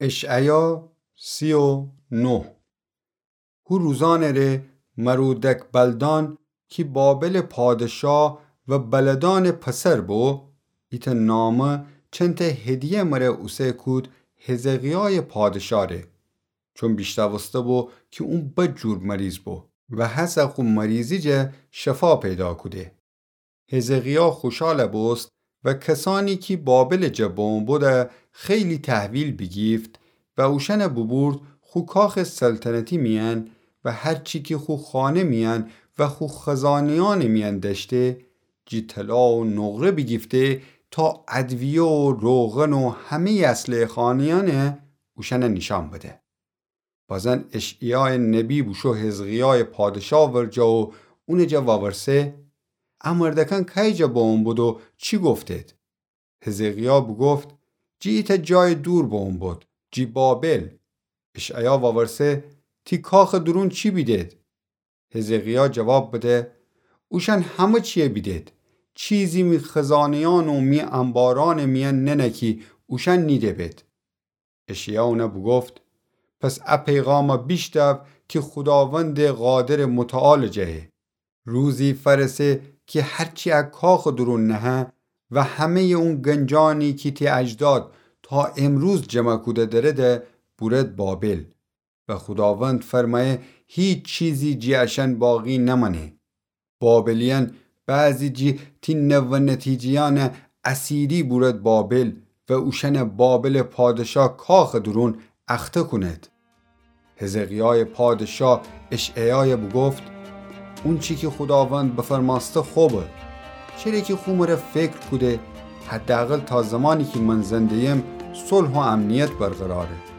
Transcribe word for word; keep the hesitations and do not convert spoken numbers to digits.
اشعیا سی و نه. هو روزأنٚ ره مرودک‌بلدان کی بابلٚ پادشا و بلدأنٚ پسر بو، ایتأ نامه چنتأ هدیه مره اوسه کود حزقیایٚ پادشا ره، چون بیشنوسته بو کی اون بد جور مریض بو و هسه خو مریضی جا شفا پیدا کوده. حزقیا خوشال بوست و کسأنی کی بابلٚ جا بمو بودن خیلی تحویل بیگیفت و اوشأن بوبورد خو کاخٚ سلطنتی میأن و هر چی کی خو خانه میأن و خو خزانه‌یأنٚ میأن دأشته، جی طلا و نقره بیگیفته تا ادویه و روغن و همه‌یٚ اسلحه‌خانه‌یأن اوشأن نیشأن بده. بازن اشعیایٚ نبی بوشو حزقیایٚ پادشا ورجه و اونٚ جا وورسه: ا مردکأن کیٚ جا بمو بود و چی گفتید؟ حزقیا بوگفت: جی ایتأ جایٚ دور بمو بود، جی بابل. اشعیا وورسه: تی کاخٚ دورون چی بیدید؟ حزقیا جواب بده: اوشأن همه چیه بیدید. چیزی می خزانه‌یأن و می انبارأنٚ میأن ننه کی اوشأن نیده بید. اشعیا اون بوگفت: پس ا پیغام بیشنو کی خوداوندٚ قادرٚ متعالٚ جا ایه. روزی فأرسه کی هر چی ا کاخٚ دورون نهه و همه‌یٚ اون گنجأنی کی تی اجداد تا امروز جمع کوده درده بورد بابل. و خوداوند فرمأیه هیچ چیزی جی اشأن باقی نمأنه. بابلیأن بعضی جی تی نوه نتیجه‌یأن اسیری بورد بابل و اوشأن بابلٚ پادشا کاخٚ دورون اخته کونید. حزقیایٚ پادشا اشعیای بوگفت: اونچی کی خوداوند بفرمأسته خوبه. چره کی خو مره فکر کوده، حداقل تا زمانی کی من زنده‌یم صلح و امنیت برقراره.